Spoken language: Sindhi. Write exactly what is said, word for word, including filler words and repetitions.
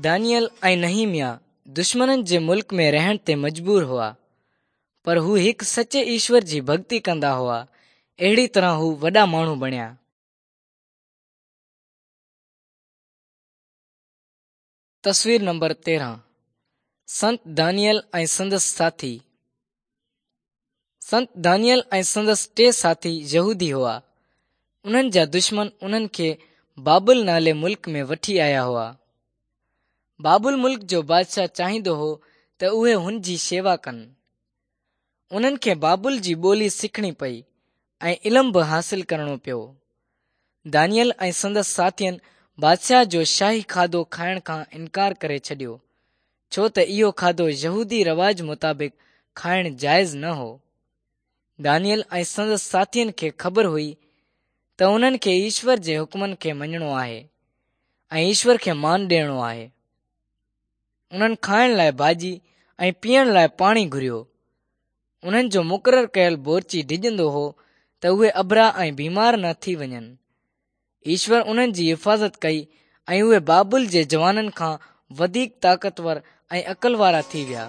دانيل ۽ نحيمياه دشمنن جي ملڪ ۾ رهڻ تي مجبور هئا، پر هو هڪ سچي ايشور جي ڀڳتي ڪندا هئا. اهڙي طرح هو وڏا ماڻهو بڻيا. تصوير نمبر تيرهن سنت دانيل ۽ سندس ساٿي. سنت دانيل ۽ سندس ٽي ساٿي يهودي هئا. انهن جا دشمن انهن کي بابل نالي ملڪ ۾ وٺي آيا هئا. بابل ملڪ جو بادشاهه چاهيندو هو ته اهي هن جي شيوا ڪن. انهن کي بابل جي ٻولي سکڻي پئي ۽ علم به حاصل ڪرڻو پيو. دانيل ۽ سندس ساٿين بادشاهه جو شاهي کاڌو کائڻ کان انڪار ڪري ڇڏيو، ڇو ته اهو کاڌو يهودي رواج مطابق کائڻ جائز نه هو. دانيل ۽ سندس ساٿين کي خبر هئي ته انهن کي ايشور جي حڪمن کي مڃڻو آهي ۽ ايشور کي مان ڏيڻو آهي. انهن کائڻ لاءِ ڀاڄي ۽ پيئڻ لاءِ پاڻي گهريو. انهن جو مقرر ڪيل بورچي ڊڄندو هو ته اهي اڀرا ۽ بيمار نه ٿي وڃن. ايشور انهن جي حفاظت ڪئي ۽ اهي بابل جي جوانن کان وڌيڪ طاقتور ۽ عقل وارا ٿي ويا.